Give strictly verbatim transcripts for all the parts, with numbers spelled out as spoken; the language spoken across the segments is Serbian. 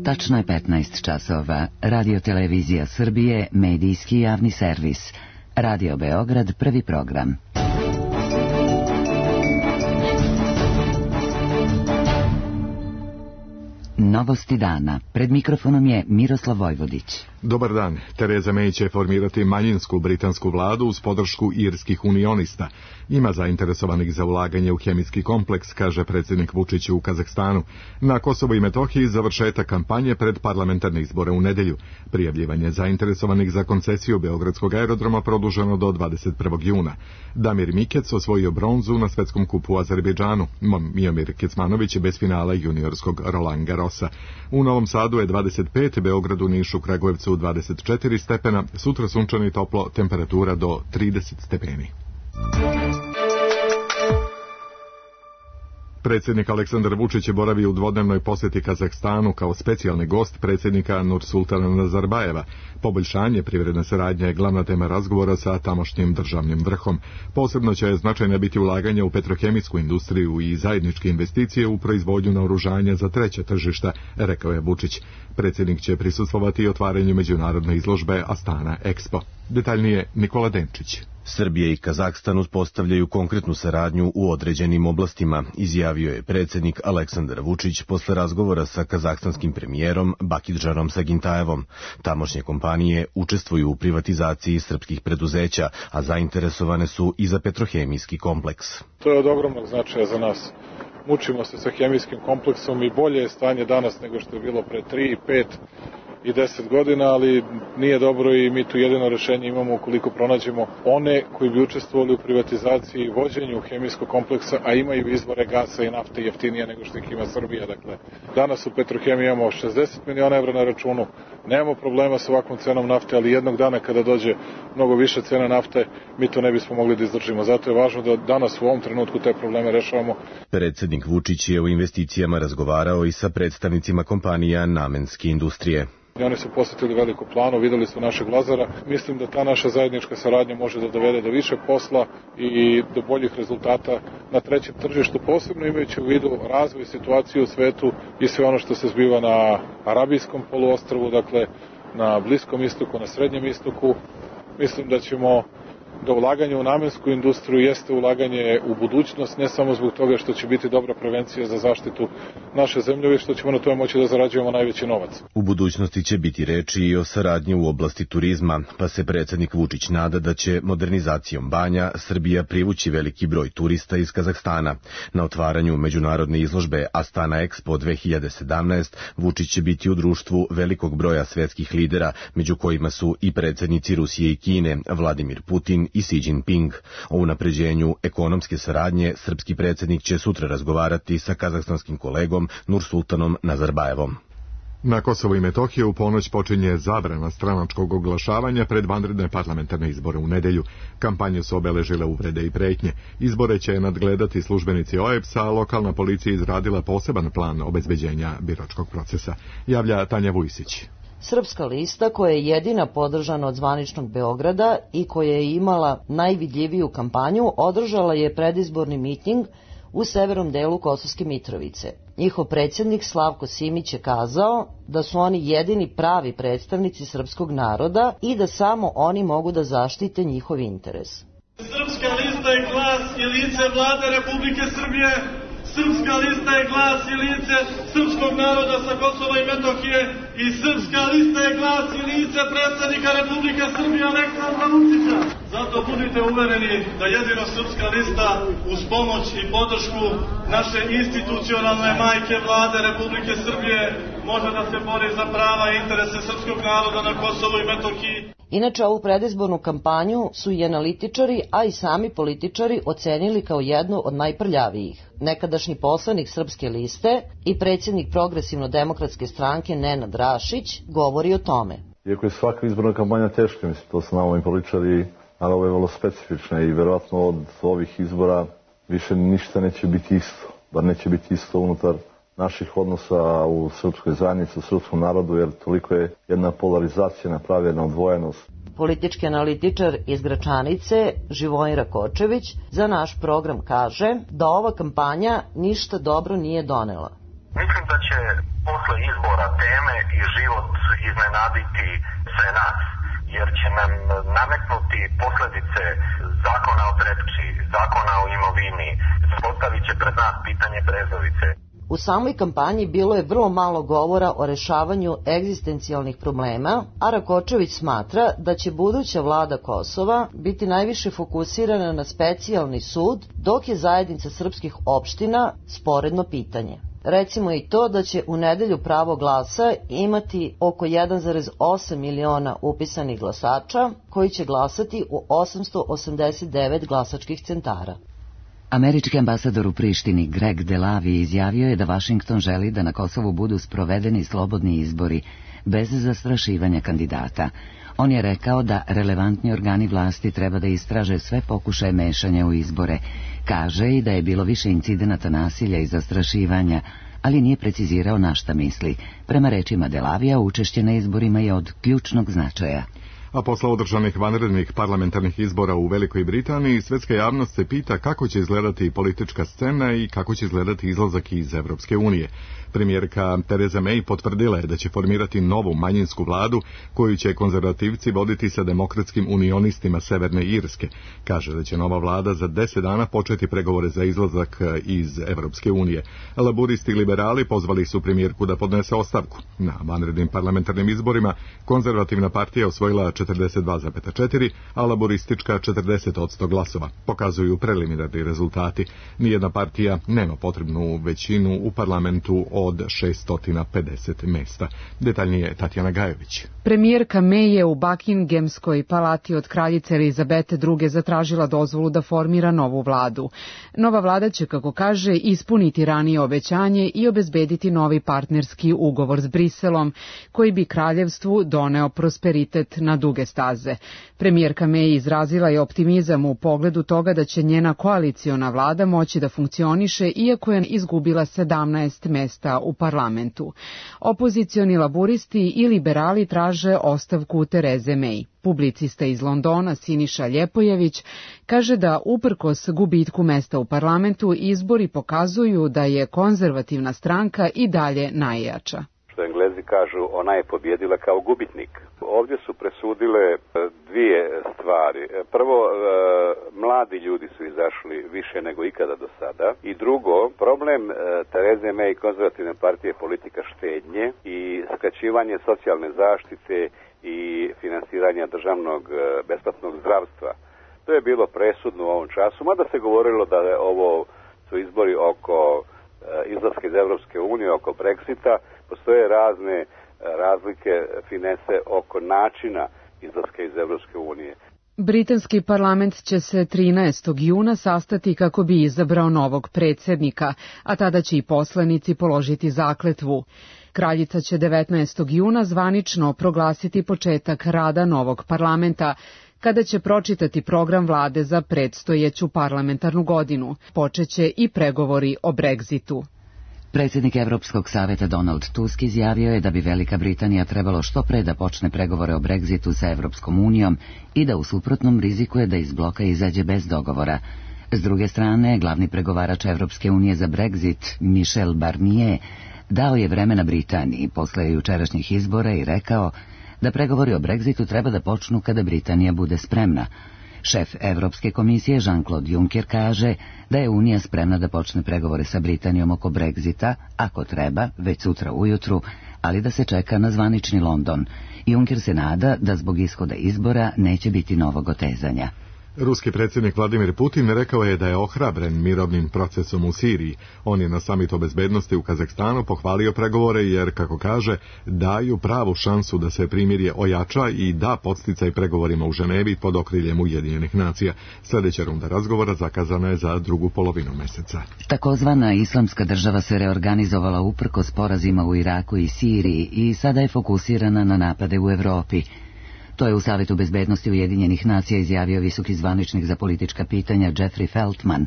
Tačno je petnaest časova. Radio Televizija Srbije, medijski javni servis. Radio Beograd, prvi program. Novosti dana. Pred mikrofonom je Miroslav Vojvodić. Dobar dan. Tereza May će formirati manjinsku britansku vladu uz podršku irskih unionista. Ima zainteresovanih za ulaganje u hemijski kompleks, kaže predsjednik Vučić u Kazahstanu. Na Kosovu i Metohiji završetak kampanje pred parlamentarne izbore u nedelju. Prijavljivanje zainteresovanih za koncesiju Beogradskog aerodroma produženo do dvadeset prvog juna. Damir Mikec osvojio bronzu na svetskom kupu u Azerbejdžanu. Miomir Kecmanović je bez finala juniorskog Roland Garrosa. U Novom Sadu je dvadeset pet, Beogradu, Nišu, Kragujevcu dvadeset četiri stepena, sutra sunčano i toplo, temperatura do trideset stepeni. Predsjednik Aleksandar Vučić je boravio u dvodnevnoj posjeti Kazahstanu kao specijalni gost predsjednika Nursultana Nazarbajeva. Poboljšanje privredne saradnje je glavna tema razgovora sa tamošnjim državnim vrhom. Posebno će značajno biti ulaganje u petrohemijsku industriju i zajedničke investicije u proizvodnju naoružanja za treće tržišta, rekao je Vučić. Predsjednik će prisustvovati i otvaranju međunarodne izložbe Astana Expo. Detaljnije Nikola Denčić. Srbija i Kazahstan uspostavljaju konkretnu saradnju u određenim oblastima, izjavio je predsjednik Aleksandar Vučić posle razgovora sa kazahstanskim premijerom Bakidžanom Sagintajevom. Tamošnje kompanije učestvuju u privatizaciji srpskih preduzeća, a zainteresovane su i za petrohemijski kompleks. To je od ogromnog značaja za nas. Mučimo se sa hemijskim kompleksom i bolje je stanje danas nego što je bilo pre tri, pet i deset godina, ali nije dobro i mi tu jedino rešenje imamo ukoliko pronađemo one koji bi učestvovali u privatizaciji i vođenju hemijskog kompleksa, a imaju izvore gasa i nafte jeftinije nego što ih ima Srbija. Dakle, danas u Petrohemiji imamo šezdeset miliona evra na računu, nemamo problema sa ovakvom cenom nafte, ali jednog dana kada dođe mnogo više cena nafte, mi to ne bismo mogli da izdržimo. Zato je važno da danas u ovom trenutku te probleme rešavamo. Predsjednik Vučić je o investicijama razgovarao i sa predstavnicima kompanija namenske industrije. Oni su posjetili Veliku Planu, videli su našeg Lazara. Mislim da ta naša zajednička saradnja može da dovede do više posla i do boljih rezultata na trećem tržištu, posebno imajući u vidu razvoj situacije u svetu i sve ono što se zbiva na Arabijskom poluostrvu, dakle na Bliskom istoku, na Srednjem istoku. Mislim da ćemo da ulaganje u namensku industriju jeste ulaganje u budućnost, ne samo zbog toga što će biti dobra prevencija za zaštitu naše zemlje, već što ćemo na tome moći da zarađujemo najveći novac. U budućnosti će biti reči i o saradnji u oblasti turizma, pa se predsjednik Vučić nada da će modernizacijom banja Srbija privući veliki broj turista iz Kazahstana. Na otvaranju međunarodne izložbe Astana Expo dve hiljade sedamnaest Vučić će biti u društvu velikog broja svetskih lidera, među kojima su i predsjednici Rusije i Kine, Vladimir Putin i Xi Jinping. O unapređenju ekonomske saradnje srpski predsjednik će sutra razgovarati sa kazahstanskim kolegom Nursultanom Nazarbajevom. Na Kosovu i Metohiji u ponoć počinje zabrana stranačkog oglašavanja pred vanredne parlamentarne izbore u nedelju. Kampanje su obeležile uvrede i pretnje. Izbore će nadgledati službenici O E B S-a, a lokalna policija izradila poseban plan obezbeđenja biračkog procesa. Javlja Tanja Vujsić. Srpska lista, koja je jedina podržana od zvaničnog Beograda i koja je imala najvidljiviju kampanju, održala je predizborni miting u severnom delu Kosovske Mitrovice. Njihov predsjednik Slavko Simić je kazao da su oni jedini pravi predstavnici srpskog naroda i da samo oni mogu da zaštite njihov interes. Srpska lista je glas i lice vlade Republike Srbije. Srpska lista je glas i lice srpskog naroda sa Kosova i Metohije i srpska lista je glas i lice predsjednika Republike Srbije Aleksandra Vučića. Zato budite uvereni da jedino srpska lista uz pomoć i podršku naše institucionalne majke vlade Republike Srbije može da se bori za prava i interese srpskog naroda na Kosovu i Metohiji. Inače, ovu predizbornu kampanju su i analitičari, a i sami političari ocenili kao jednu od najprljavijih. Nekadašnji poslanik Srpske liste i predsjednik Progresivno-demokratske stranke Nenad Rašić govori o tome. Iako je svaka izborna kampanja teška, mislim, to su nama i političari, ali ovo je vrlo specifična i verovatno od ovih izbora više ništa neće biti isto. Bar neće biti isto unutar naših odnosa u srpskoj zajednici, u srpskom narodu, jer toliko je jedna polarizacija napravljena, odvojenost. Politički analitičar iz Gračanice, Živojin Rakočević, za naš program kaže da ova kampanja ništa dobro nije donela. Mislim da će posle posle izbora teme i život iznenaditi sve nas, jer će nam nametnuti posledice zakona o Trepči, zakona o imovini, postavit će pred nas pitanje Brezovice. U samoj kampanji bilo je vrlo malo govora o rešavanju egzistencijalnih problema, a Rakočević smatra da će buduća vlada Kosova biti najviše fokusirana na specijalni sud, dok je zajednica srpskih opština sporedno pitanje. Recimo i to da će u nedelju pravo glasa imati oko jedan zarez osam miliona upisanih glasača koji će glasati u osamsto osamdeset devet glasačkih centara. Američki ambasador u Prištini Greg Delavi izjavio je da Vašington želi da na Kosovu budu sprovedeni slobodni izbori bez zastrašivanja kandidata. On je rekao da relevantni organi vlasti treba da istraže sve pokušaje mešanja u izbore. Kaže i da je bilo više incidenata nasilja i zastrašivanja, ali nije precizirao na šta misli. Prema rečima Delavija, učešće na izborima je od ključnog značaja. A posle održanih vanrednih parlamentarnih izbora u Velikoj Britaniji, svetska javnost se pita kako će izgledati politička scena i kako će izgledati izlazak iz Evropske unije. Premijerka Theresa May potvrdila je da će formirati novu manjinsku vladu koju će konzervativci voditi sa demokratskim unionistima Severne Irske. Kaže da će nova vlada za deset dana početi pregovore za izlazak iz Evropske unije. Laburisti i liberali pozvali su premijerku da podnese ostavku. Na vanrednim parlamentarnim izborima konzervativna partija osvojila četrdeset dva zarez četiri, a laboristička četrdeset odsto glasova. Pokazuju preliminarni rezultati. Nijedna partija nema potrebnu većinu u parlamentu od šesto pedeset mesta. Detaljnije Tatjana Gajović. Premijerka May je u Buckinghamskoj palati od kraljice Elizabete druge zatražila dozvolu da formira novu vladu. Nova vlada će, kako kaže, ispuniti ranije obećanje i obezbediti novi partnerski ugovor s Briselom, koji bi kraljevstvu doneo prosperitet na duge staze. Premijerka May izrazila je optimizam u pogledu toga da će njena koaliciona vlada moći da funkcioniše iako je izgubila sedamnaest mesta u parlamentu. Opozicioni laburisti i liberali traže ostavku Tereze May. Publicista iz Londona Siniša Ljepojević kaže da uprkos gubitku mesta u parlamentu izbori pokazuju da je konzervativna stranka i dalje najjača. Što Englezi kažu, ona je pobjedila kao gubitnik. Ovdje su presudile dvije stvari. Prvo, mladi ljudi su izašli više nego ikada do sada. I drugo, problem Tereze May i konzervativne partije politika štednje i skraćivanje socijalne zaštite i finansiranja državnog besplatnog zdravstva. To je bilo presudno u ovom času, mada se govorilo da je ovo su izbori oko izlaska iz Evropske unije, oko Brexita. Postoje razne razlike, finese oko načina izlaska iz Evropske unije. Britanski parlament će se trinaestog juna sastati kako bi izabrao novog predsjednika, a tada će i poslanici položiti zakletvu. Kraljica će devetnaestog juna zvanično proglasiti početak rada novog parlamenta, kada će pročitati program vlade za predstojeću parlamentarnu godinu. Počeće i pregovori o Brexitu. Predsjednik Evropskog saveta Donald Tusk izjavio je da bi Velika Britanija trebalo što pre da počne pregovore o Brexitu sa Evropskom unijom i da u suprotnom rizikuje da iz bloka izađe bez dogovora. S druge strane, glavni pregovarač Evropske unije za Brexit, Michel Barnier, dao je vremena Britaniji posle jučerašnjih izbora i rekao da pregovori o Brexitu treba da počnu kada Britanija bude spremna. Šef Evropske komisije Jean-Claude Juncker kaže da je Unija spremna da počne pregovore sa Britanijom oko Brexita, ako treba, već sutra ujutru, ali da se čeka na zvanični London. Juncker se nada da zbog ishoda izbora neće biti novog otezanja. Ruski predsjednik Vladimir Putin rekao je da je ohrabren mirovnim procesom u Siriji. On je na samitu o bezbednosti u Kazahstanu pohvalio pregovore jer, kako kaže, daju pravu šansu da se primirje ojača i da podsticaj pregovorima u Ženevi pod okriljem Ujedinjenih nacija. Sljedeća runda razgovora zakazana je za drugu polovinu meseca. Takozvana islamska država se reorganizovala uprkos porazima u Iraku i Siriji i sada je fokusirana na napade u Evropi. To je u Savetu bezbednosti Ujedinjenih nacija izjavio visoki zvaničnik za politička pitanja Jeffrey Feltman.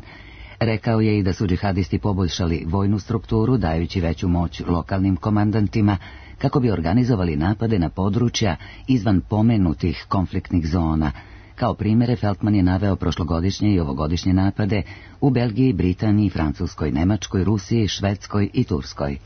Rekao je i da su džihadisti poboljšali vojnu strukturu, dajući veću moć lokalnim komandantima, kako bi organizovali napade na područja izvan pomenutih konfliktnih zona. Kao primjere Feltman je naveo prošlogodišnje i ovogodišnje napade u Belgiji, Britaniji, Francuskoj, Nemačkoj, Rusiji, Švedskoj i Turskoj.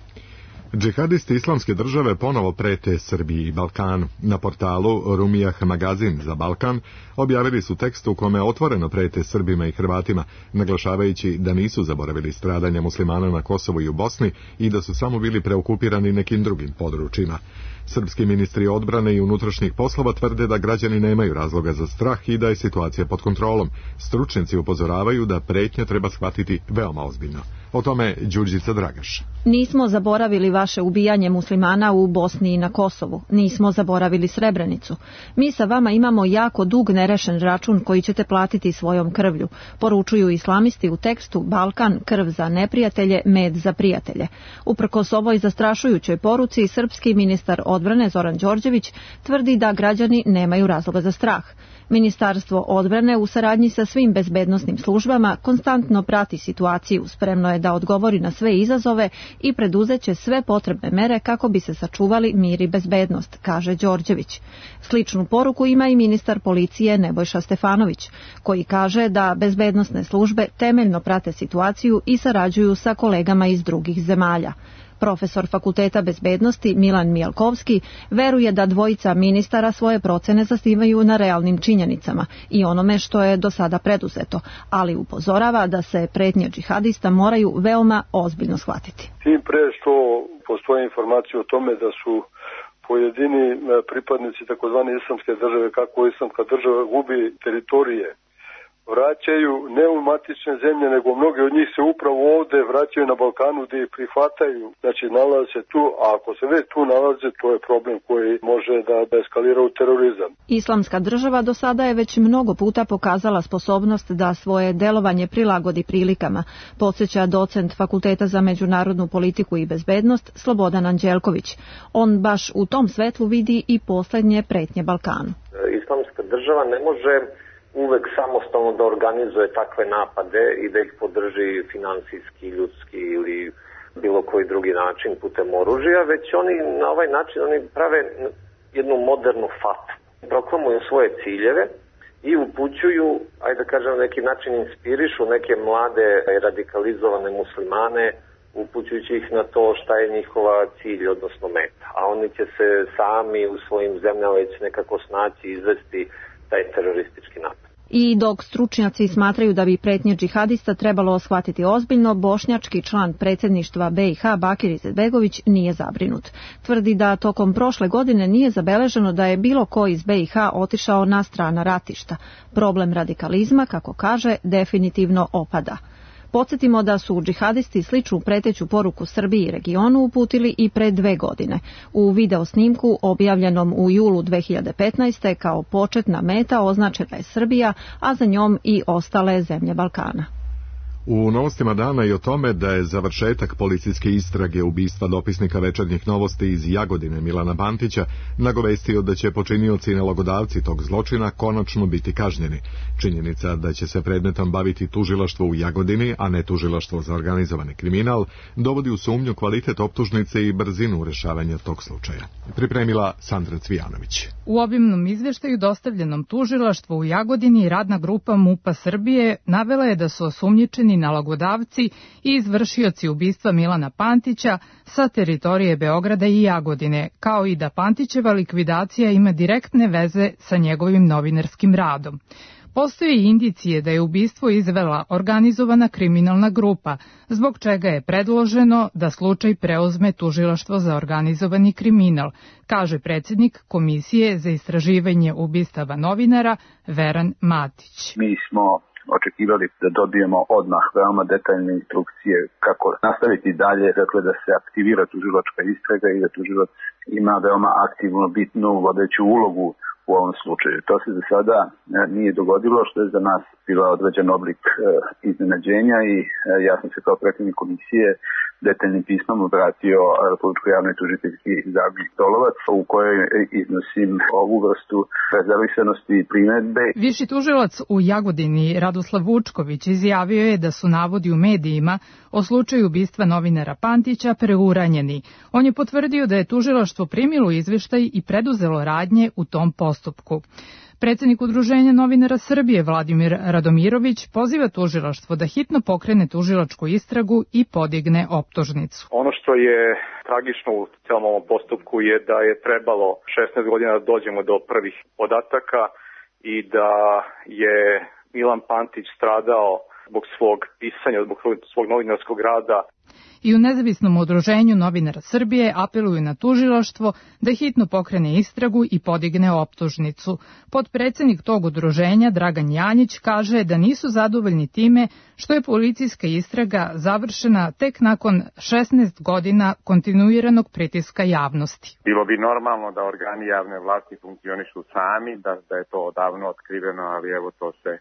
Džihadisti Islamske države ponovo prete Srbiji i Balkanu. Na portalu Rumijah magazin za Balkan objavili su tekst u kome otvoreno prete Srbima i Hrvatima, naglašavajući da nisu zaboravili stradanja muslimana na Kosovu i u Bosni i da su samo bili preokupirani nekim drugim područjima. Srpski ministri odbrane i unutrašnjih poslova tvrde da građani nemaju razloga za strah i da je situacija pod kontrolom. Stručnjaci upozoravaju da pretnje treba shvatiti veoma ozbiljno. O tome Đurđica Dragaš. Nismo zaboravili vaše ubijanje muslimana u Bosni i na Kosovu. Nismo zaboravili Srebrenicu. Mi sa vama imamo jako dug nerešen račun koji ćete platiti svojom krvlju. Poručuju islamisti u tekstu Balkan, krv za neprijatelje, med za prijatelje. Uprkos ovoj zastrašujućoj poruci, srpski ministar odbrane Zoran Đorđević tvrdi da građani nemaju razloga za strah. Ministarstvo odbrane u saradnji sa svim bezbednosnim službama konstantno prati situaciju, spremno je da odgovori na sve izazove i preduzeće sve potrebne mere kako bi se sačuvali mir i bezbednost, kaže Đorđević. Sličnu poruku ima i ministar policije Nebojša Stefanović, koji kaže da bezbednosne službe temeljno prate situaciju i sarađuju sa kolegama iz drugih zemalja. Profesor Fakulteta bezbednosti Milan Mijalkovski veruje da dvojica ministara svoje procene zasnivaju na realnim činjenicama i onome što je do sada preduzeto, ali upozorava da se pretnje džihadista moraju veoma ozbiljno shvatiti. Tim pre što postoje informacije o tome da su pojedini pripadnici takozvane islamske države, kako islamska država gubi teritorije, vraćaju ne u matične zemlje, nego mnogi od njih se upravo ovde vraćaju na Balkanu gde ih prihvataju. Znači, nalaze se tu, a ako se već tu nalaze, to je problem koji može da, da eskalira u terorizam. Islamska država do sada je već mnogo puta pokazala sposobnost da svoje delovanje prilagodi prilikama, podsjeća docent Fakulteta za međunarodnu politiku i bezbednost Slobodan Anđelković. On baš u tom svetlu vidi i poslednje pretnje Balkanu. Islamska država ne može uvek samostalno da organizuje takve napade i da ih podrži finansijski, ljudski ili bilo koji drugi način putem oružja, već oni na ovaj način oni prave jednu modernu fatu. Proklamuju svoje ciljeve i upućuju, ajde da kažem, na neki način inspirišu neke mlade radikalizovane muslimane, upućujući ih na to šta je njihova cilj, odnosno meta. A oni će se sami u svojim zemljama već nekako snaći i izvesti taj teroristički napad. I dok stručnjaci smatraju da bi pretnje džihadista trebalo shvatiti ozbiljno, bošnjački član predsjedništva B i H Bakir Izetbegović nije zabrinut. Tvrdi da tokom prošle godine nije zabeleženo da je bilo ko iz B i H otišao na strana ratišta. Problem radikalizma, kako kaže, definitivno opada. Podsjetimo da su džihadisti sličnu preteću poruku Srbiji i regionu uputili i pre dve godine. U videosnimku objavljenom u julu dve hiljade petnaeste. kao početna meta označena je Srbija, a za njom i ostale zemlje Balkana. U novostima dana i o tome da je završetak policijske istrage ubistva dopisnika Večernjih novosti iz Jagodine Milana Pantića nagovestio da će počinioci i nalogodavci tog zločina konačno biti kažnjeni. Činjenica da će se predmetom baviti tužilaštvo u Jagodini, a ne tužilaštvo za organizovani kriminal, dovodi u sumnju kvalitet optužnice i brzinu rešavanja tog slučaja. Pripremila Sandra Cvijanović. U obimnom izveštaju dostavljenom tužilaštvu u Jagodini radna grupa MUP-a Srbije navela je da su osumnjičeni nalogodavci i izvršioci ubistva Milana Pantića sa teritorije Beograda i Jagodine, kao i da Pantićeva likvidacija ima direktne veze sa njegovim novinarskim radom. Postoje indicije da je ubistvo izvela organizovana kriminalna grupa, zbog čega je predloženo da slučaj preuzme tužilaštvo za organizovani kriminal, kaže predsjednik Komisije za istraživanje ubistava novinara Veran Matić. Mi smo očekivali da dobijemo odmah veoma detaljne instrukcije kako nastaviti dalje, dakle da se aktivira tužilačka istraga i da tužilac ima veoma aktivno bitnu vodeću ulogu u ovom slučaju. To se za sada nije dogodilo, što je za nas bila određen oblik e, iznenađenja i e, ja sam se kao predsjednik komisije detaljnim pismom obratio Republičkoj javnoj tužiteljki Zagorki Dolovac, u kojoj iznosim ovu vrstu rezervisanosti i primedbe. Viši tužilac u Jagodini Radoslav Vučković izjavio je da su navodi u medijima o slučaju ubistva novinara Pantića preuranjeni. On je potvrdio da je tužilaštvo primilo izveštaj i preduzelo radnje u tom postupku. Predsjednik Udruženja novinara Srbije Vladimir Radomirović poziva tužilaštvo da hitno pokrene tužilačku istragu i podigne optužnicu. Ono što je tragično u celom ovom postupku je da je trebalo šesnaest godina da dođemo do prvih podataka i da je Milan Pantić stradao zbog svog pisanja, zbog svog novinarskog rada. I u nezavisnom udruženju novinara Srbije apeluju na tužilaštvo da hitno pokrene istragu i podigne optužnicu. Potpredsednik tog udruženja Dragan Janjić kaže da nisu zadovoljni time što je policijska istraga završena tek nakon šesnaest godina kontinuiranog pritiska javnosti. Bilo bi normalno da organi javne vlasti funkcionišu sami, da, da je to odavno otkriveno, ali evo to se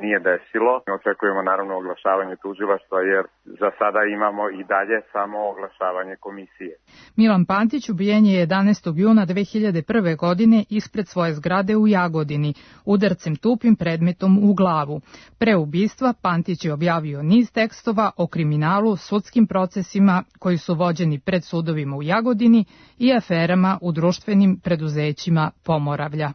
nije desilo. Očekujemo naravno oglašavanje tužilaštva jer za sada imamo i dalje samo oglašavanje komisije. Milan Pantić ubijen je jedanaestog juna dve hiljade prve. godine ispred svoje zgrade u Jagodini, udarcem tupim predmetom u glavu. Pre ubistva Pantić je objavio niz tekstova o kriminalu, sudskim procesima koji su vođeni pred sudovima u Jagodini i aferama u društvenim preduzećima Pomoravlja.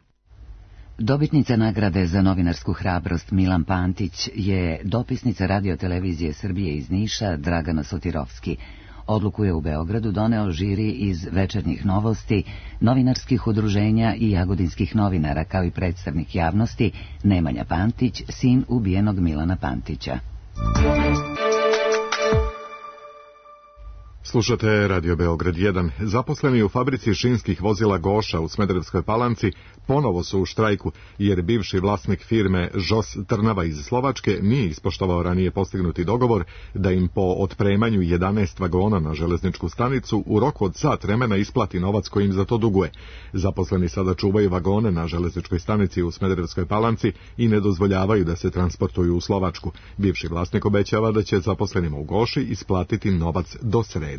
Dobitnica nagrade za novinarsku hrabrost Milan Pantić je dopisnica Radio-televizije Srbije iz Niša Dragana Sotirovski. Odluku je u Beogradu doneo žiri iz Večernjih novosti, novinarskih udruženja i jagodinskih novinara, kao i predstavnik javnosti Nemanja Pantić, sin ubijenog Milana Pantića. Slušate Radio Beograd jedan. Zaposleni u fabrici šinskih vozila Goša u Smederevskoj Palanci ponovo su u štrajku, jer bivši vlasnik firme Žos Trnava iz Slovačke nije ispoštovao ranije postignuti dogovor da im po otpremanju jedanaest vagona na železničku stanicu u roku od sat vremena isplati novac koji im za to duguje. Zaposleni sada čuvaju vagone na železničkoj stanici u Smederevskoj Palanci i ne dozvoljavaju da se transportuju u Slovačku. Bivši vlasnik obećava da će zaposlenima u Goši isplatiti novac do srede.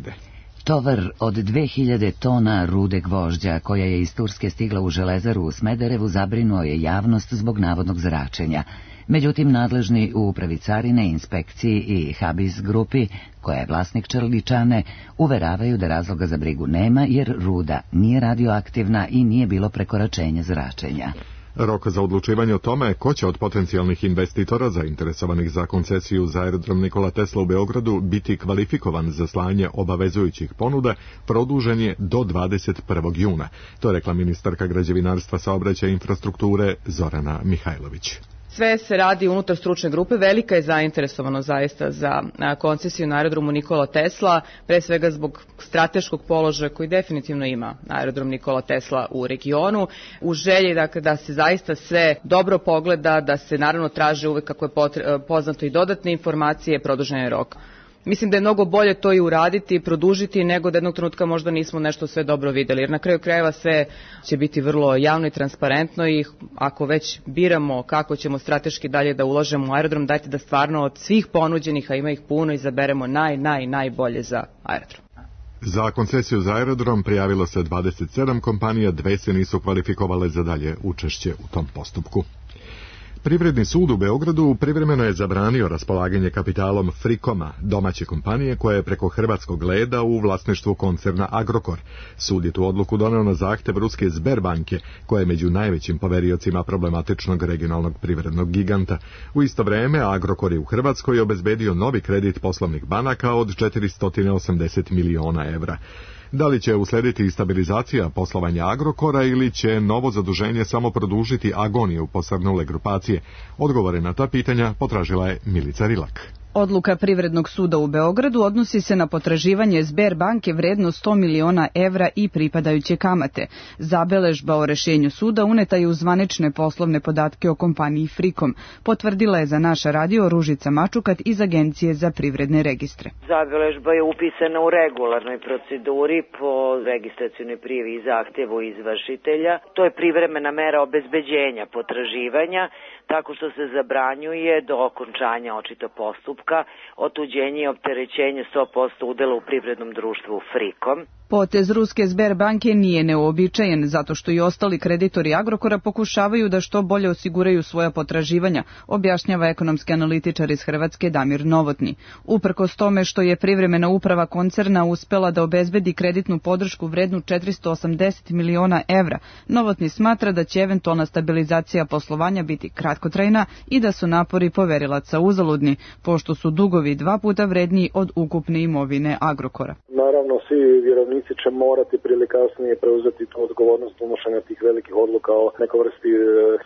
Tovar od dve hiljade tona rude gvožđa koja je iz Turske stigla u železaru u Smederevu zabrinuo je javnost zbog navodnog zračenja. Međutim, nadležni u upravi carine, inspekciji i Habis grupi, koja je vlasnik Črličane, uveravaju da razloga za brigu nema jer ruda nije radioaktivna i nije bilo prekoračenja zračenja. Rok za odlučivanje o tome ko će od potencijalnih investitora zainteresovanih za koncesiju za aerodrom Nikola Tesla u Beogradu biti kvalifikovan za slanje obavezujućih ponuda produžen je do dvadeset prvog juna. To je rekla ministarka građevinarstva, saobraćaja i infrastrukture Zorana Mihajlović. Sve se radi unutar stručne grupe, velika je zainteresovanost zaista za koncesiju na aerodromu Nikola Tesla, pre svega zbog strateškog položaja koji definitivno ima aerodrom Nikola Tesla u regionu. U želji dakle, da se zaista sve dobro pogleda, da se naravno traže uvek kako je poznato i dodatne informacije, produžen je rok. Mislim da je mnogo bolje to i uraditi, produžiti, nego da jednog trenutka možda nismo nešto sve dobro videli. Jer na kraju krajeva sve će biti vrlo javno i transparentno i ako već biramo kako ćemo strateški dalje da ulažemo u aerodrom, dajte da stvarno od svih ponuđenih, a ima ih puno, izaberemo naj, naj, najbolje za aerodrom. Za koncesiju za aerodrom prijavilo se dvadeset sedam kompanija, dve se nisu kvalifikovale za dalje učešće u tom postupku. Privredni sud u Beogradu privremeno je zabranio raspolaganje kapitalom Frikoma, domaće kompanije koja je preko hrvatskog leda u vlasništvu koncerna Agrokor. Sud je tu odluku doneo na zahtev ruske Sberbanke, koja je među najvećim poveriocima problematičnog regionalnog privrednog giganta. U isto vreme Agrokor je u Hrvatskoj obezbedio novi kredit poslovnih banaka od četiristo osamdeset miliona evra. Da li će uslediti stabilizacija poslovanja Agrokora ili će novo zaduženje samo produžiti agoniju posrnule grupacije? Odgovore na ta pitanja potražila je Milica Rilak. Odluka Privrednog suda u Beogradu odnosi se na potraživanje Sberbanke vredno sto miliona evra i pripadajuće kamate. Zabeležba o rešenju suda uneta je u zvanične poslovne podatke o kompaniji Frikom. Potvrdila je za naš radio Ružica Mačukat iz Agencije za privredne registre. Zabeležba je upisana u regularnoj proceduri po registracionoj prijavi i zahtevu izvršitelja. To je privremena mera obezbeđenja potraživanja tako što se zabranjuje do okončanja očito postupka otuđenje i opterećenje sto posto udela u privrednom društvu Frikom. Potez ruske Sberbanke nije neuobičajen, zato što i ostali kreditori Agrokora pokušavaju da što bolje osiguraju svoja potraživanja, objašnjava ekonomski analitičar iz Hrvatske Damir Novotni. Uprkos tome što je privremena uprava koncerna uspela da obezbedi kreditnu podršku vrednu četiristo osamdeset miliona evra, Novotni smatra da će eventualna stabilizacija poslovanja biti kratkotrajna i da su napori poverilaca uzaludni, pošto su dugovi dva puta vredniji od ukupne imovine Agrokora. Naravno, svi vjerovnici će morati prije kasnije preuzeti tu odgovornost donošenja tih velikih odluka o nekoj vrsti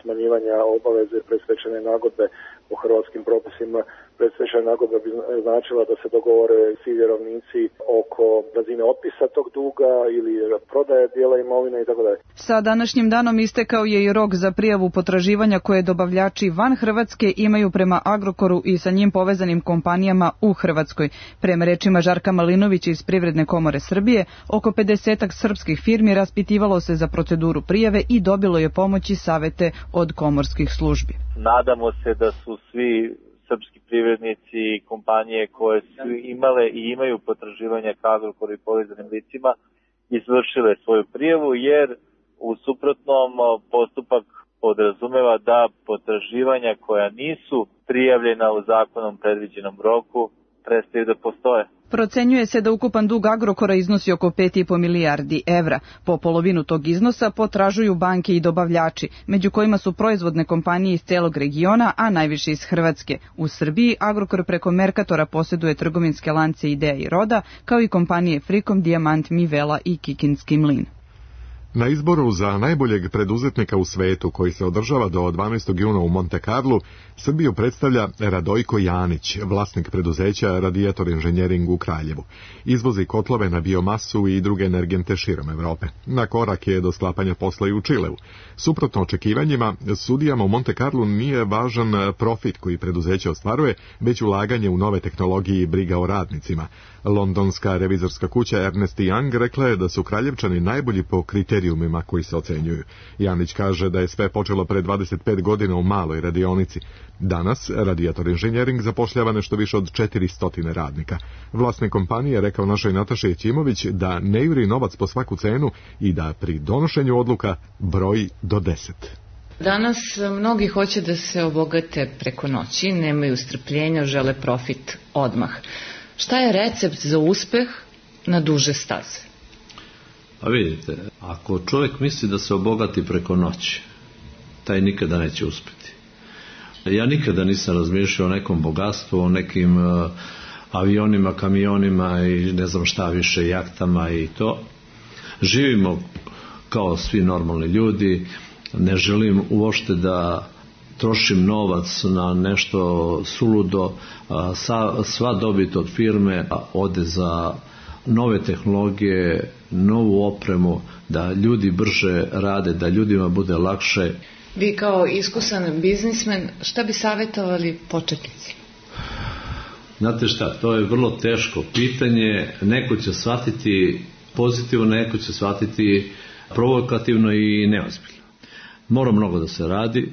smanjivanja obaveze predstečajne nagodbe u hrvatskim propisima. Predstečajna nagodba bi značila da se dogovore svi vjerovnici oko razine otpisa tog duga ili prodaje dijela imovine i tako dalje. Sa današnjim danom istekao je i rok za prijavu potraživanja koje dobavljači van Hrvatske imaju prema Agrokoru i sa njim povezanim kompanijama u Hrvatskoj. Prema rečima Žarka Malinovića iz Privredne komore Srbije, oko pedesetak srpskih firmi raspitivalo se za proceduru prijave i dobilo je pomoć i savete od komorskih službi. Nadamo se da su svi srpski privrednici i kompanije koje su imale i imaju potraživanja ka Agrokoru i povezanim licima izvršile svoju prijavu, jer u suprotnom postupak podrazumeva da potraživanja koja nisu prijavljena u zakonom predviđenom roku prestaju da postoje. Procenjuje se da ukupan dug Agrokora iznosi oko pet i po milijardi evra. Po polovinu tog iznosa potražuju banke i dobavljači, među kojima su proizvodne kompanije iz celog regiona, a najviše iz Hrvatske. U Srbiji Agrokor preko Merkatora posjeduje trgovinske lance Idea i Roda, kao i kompanije Frikom, Dijamant, Mivela i Kikinski mlin. Na izboru za najboljeg preduzetnika u svetu, koji se održava do dvanaestog juna u Monte Carlu, Srbiju predstavlja Radojko Janić, vlasnik preduzeća Radijator Inženjering u Kraljevu. Izvozi kotlove na biomasu i druge energente širom Evrope. Na korak je do sklapanja posla i u Čileu. Suprotno očekivanjima, sudijama u Monte Carlu nije važan profit koji preduzeće ostvaruje, već ulaganje u nove tehnologije i briga o radnicima. Londonska revizorska kuća Ernst Young rekla je da su Kraljevčani najbolji po kriterijumima koji se ocenjuju. Janić kaže da je sve počelo pre dvadeset pet godina u maloj radionici. Danas Radijator Inženjering zapošljava nešto više od četiristo radnika. Vlasnik kompanije rekao našoj Nataši Ćimović da ne juri novac po svaku cenu i da pri donošenju odluka broji do deset. Danas mnogi hoće da se obogate preko noći, nemaju strpljenja, žele profit odmah. Šta je recept za uspeh na duže staze? Pa vidite, ako čovjek misli da se obogati preko noći, taj nikada neće uspjeti. Ja nikada nisam razmišljao o nekom bogatstvu, o nekim uh, avionima, kamionima i ne znam šta više, jahtama i to. Živimo kao svi normalni ljudi, ne želim uopšte da trošim novac na nešto suludo, sva dobit od firme ode za nove tehnologije, novu opremu, da ljudi brže rade, da ljudima bude lakše. Vi kao iskusan biznismen, šta bi savjetovali početnicima? Znate šta, to je vrlo teško pitanje, neko će shvatiti pozitivno, neko će shvatiti provokativno i neozbiljno. Mora mnogo da se radi,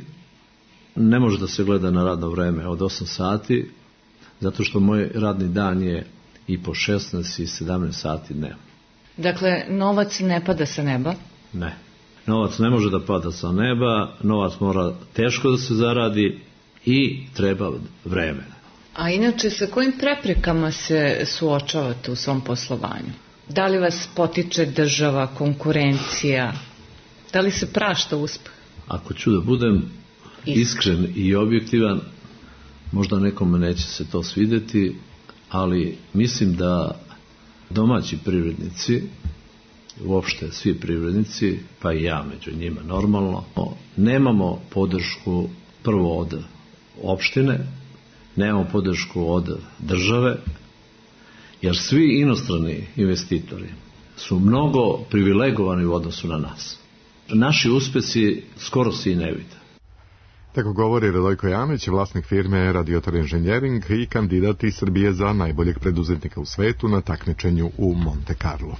ne može da se gleda na radno vreme od osam sati, zato što moj radni dan je i po šesnaest i sedamnaest sati dnevno. Dakle, novac ne pada sa neba? Ne. Novac ne može da pada sa neba, novac mora teško da se zaradi i treba vremena. A inače, sa kojim preprekama se suočavate u svom poslovanju? Da li vas potiče država, konkurencija? Da li se prašta uspeh? Ako ću da budem iskren i objektivan, možda nekome neće se to svideti, ali mislim da domaći privrednici, uopšte svi privrednici, pa i ja među njima normalno, nemamo podršku prvo od opštine, nemamo podršku od države, jer svi inostrani investitori su mnogo privilegovani u odnosu na nas. Naši uspesi skoro se i ne vide. Tako govori Radojko Janić, vlasnik firme Radijator Inženjering i kandidat iz Srbije za najboljeg preduzetnika u svetu na takmičenju u Monte Carlo.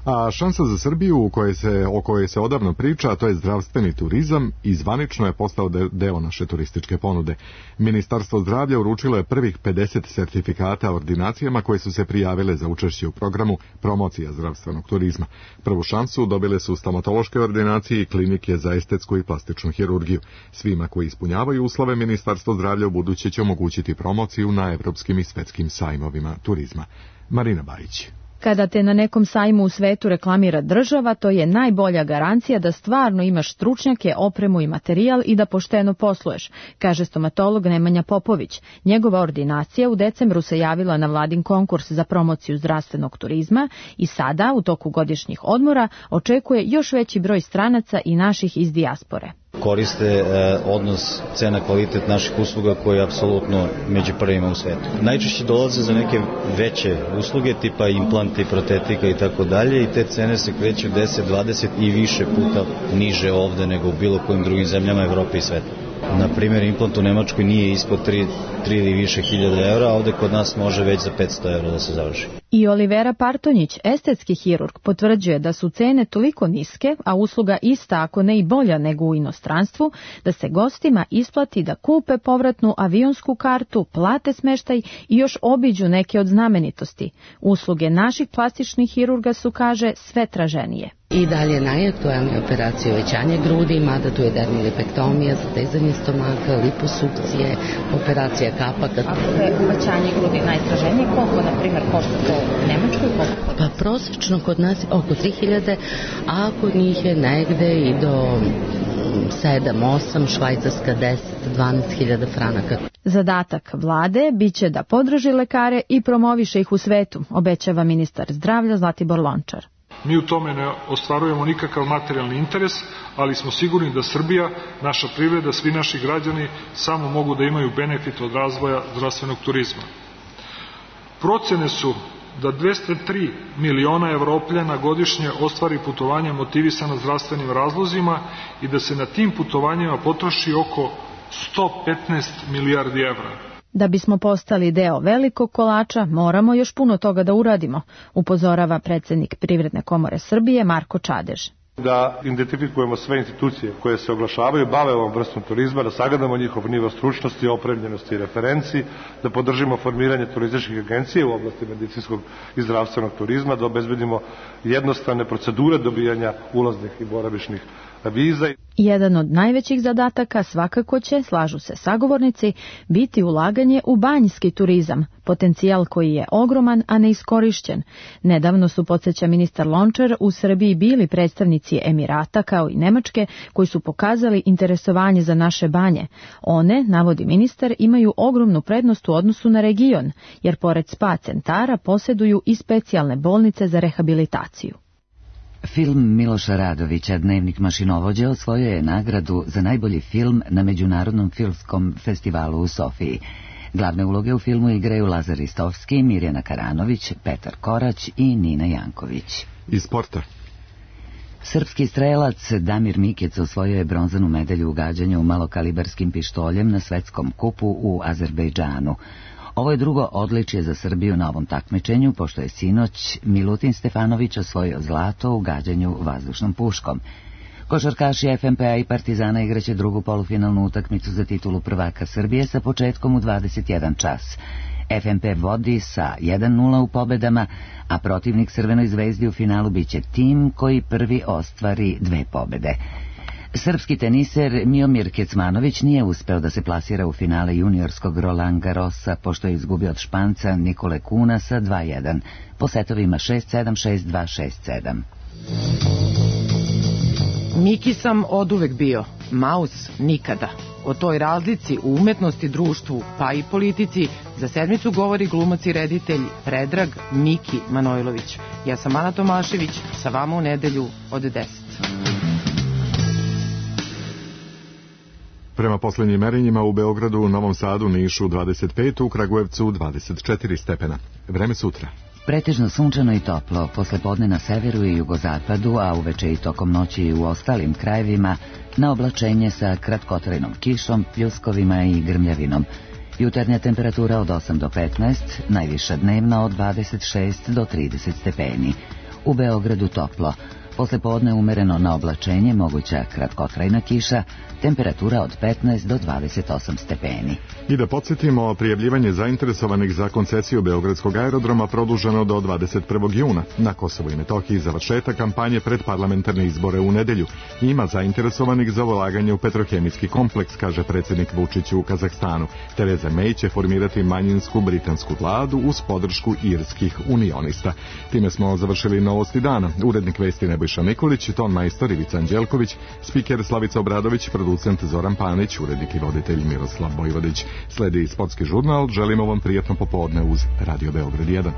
A šansa za Srbiju u kojoj se, o kojoj se odavno priča, a to je zdravstveni turizam, i zvanično je postao deo naše turističke ponude. Ministarstvo zdravlja uručilo je prvih pedeset sertifikata o ordinacijama koje su se prijavile za učešće u programu promocija zdravstvenog turizma. Prvu šansu dobile su stomatološke ordinacije i klinike za estetsku i plastičnu hirurgiju. Svima koji ispunjavaju uslove, Ministarstvo zdravlja u buduće će omogućiti promociju na evropskim i svetskim sajmovima turizma. Marina Bajić. Kada te na nekom sajmu u svetu reklamira država, to je najbolja garancija da stvarno imaš stručnjake, opremu i materijal i da pošteno posluješ, kaže stomatolog Nemanja Popović. Njegova ordinacija u decembru se javila na vladin konkurs za promociju zdravstvenog turizma i sada, u toku godišnjih odmora, očekuje još veći broj stranaca i naših iz dijaspore. Koriste eh, odnos cena-kvalitet naših usluga koji je apsolutno među prvima u svetu. Najčešće dolaze za neke veće usluge tipa implanti, protetika i tako dalje i te cene se kreću deset, dvadeset i više puta niže ovde nego u bilo kojim drugim zemljama Evrope i sveta. Na primjer, implant u Nemačkoj nije ispod tri ili više hiljada evra, a ovde kod nas može već za petsto evra da se završi. I Olivera Partonjić, estetski hirurg, potvrđuje da su cene toliko niske, a usluga ista, ako ne i bolja nego u inostranstvu, da se gostima isplati da kupe povratnu avionsku kartu, plate smeštaj i još obiđu neke od znamenitosti. Usluge naših plastičnih hirurga su, kaže, sve traženije. I dalje najaktualnije operacije uvećanje grudi, mada tu je dermilipektomija, zatezanje stomaka, liposukcije, operacija kapaka. Ako je uvećanje grudi najtraženije, koliko, na primjer, košta to u Nemačkoj? Pa prosječno kod nas oko tri hiljade, a kod njih je negde i do sedam osam, Švajcarska deset do dvanaest hiljada franaka. Zadatak vlade biće da podrži lekare i promoviše ih u svetu, obećava ministar zdravlja Zlatibor Lončar. Mi u tome ne ostvarujemo nikakav materijalni interes, ali smo sigurni da Srbija, naša privreda, svi naši građani samo mogu da imaju benefit od razvoja zdravstvenog turizma. Procene su da dvesta tri miliona Evropljana godišnje ostvari putovanja motivisana zdravstvenim razlozima i da se na tim putovanjima potroši oko sto petnaest milijardi evra. Da bismo postali deo velikog kolača, moramo još puno toga da uradimo, upozorava predsjednik Privredne komore Srbije Marko Čadež. Da identifikujemo sve institucije koje se oglašavaju, bave ovom vrstom turizma, da sagledamo njihov nivo stručnosti, opremljenosti i referenci, da podržimo formiranje turističkih agencije u oblasti medicinskog i zdravstvenog turizma, da obezbedimo jednostavne procedure dobijanja ulaznih i boravišnih viza. Jedan od najvećih zadataka svakako će, slažu se sagovornici, biti ulaganje u banjski turizam, potencijal koji je ogroman, a neiskorišćen. Nedavno su, podsjeća ministar Lončar, u Srbiji bili predstavnici Emirata kao i Nemačke koji su pokazali interesovanje za naše banje. One, navodi ministar, imaju ogromnu prednost u odnosu na region, jer pored spa centara posjeduju i specijalne bolnice za rehabilitaciju. Film Miloša Radovića Dnevnik mašinovođe osvojio je nagradu za najbolji film na Međunarodnom filmskom festivalu u Sofiji. Glavne uloge u filmu igraju Lazar Ristovski, Mirjana Karanović, Petar Korać i Nina Janković. Iz sporta. Srpski strelac Damir Mikec osvojio je bronzanu medalju u gađanju malokalibarskim pištoljem na svetskom kupu u Azerbejdžanu. Ovo je drugo odličje za Srbiju na ovom takmičenju, pošto je sinoć Milutin Stefanović osvojio zlato u gađanju vazdušnom puškom. Košarkaši F M P A i Partizana igraće drugu polufinalnu utakmicu za titulu prvaka Srbije sa početkom u dvadeset jedan čas. F M P vodi sa jedan nula u pobedama, a protivnik Crvenoj zvezdi u finalu biće tim koji prvi ostvari dve pobede. Srpski teniser Miomir Kecmanović nije uspeo da se plasira u finale juniorskog Roland Garrosa, pošto je izgubio od Španca Nikole Kuna sa dva jedan, po setovima šest sedam, šest dva, šest sedam. Miki sam oduvek bio, Maus nikada. O toj razlici u umetnosti, društvu, pa i politici, za sedmicu govori glumac i reditelj Predrag Miki Manojlović. Ja sam Ana Tomašević, sa vama u nedelju od deset. Prema posljednjim merenjima u Beogradu, u Novom Sadu, Nišu dvadeset pet, u Kragujevcu dvadeset četiri stepena. Vreme sutra. Pretežno sunčano i toplo, posle podne na severu i jugozapadu, a uveče i tokom noći i u ostalim krajevima, na oblačenje sa kratkotrajnom kišom, pljuskovima i grmljavinom. Jutarnja temperatura od osam do petnaest, najviša dnevna od dvadeset šest do trideset stepeni. u Beogradu toplo. Posle podne umereno na oblačenje, moguća kratkotrajna kiša, temperatura od petnaest do dvadeset osam stepeni. I da podsjetimo, prijavljivanje zainteresovanih za koncesiju Beogradskog aerodroma produženo do dvadeset prvog juna. Na Kosovu i Metohiji završetak kampanje pred parlamentarne izbore u nedelju. Ima zainteresovanih za ulaganje u petrohemijski kompleks, kaže predsjednik Vučić u Kazahstanu. Tereza May će formirati manjinsku britansku vladu uz podršku irskih unionista. Time smo završili novosti dana. Urednik vesti Nebojša Nikolić, ton majstor Ivica Anđelković, spiker Slavica Obradović, producent Zoran Panić, urednik i voditelj Miroslav Bojvodić. Sledi sportski žurnal. Želimo vam prijatno popodne uz Radio Beograd jedan.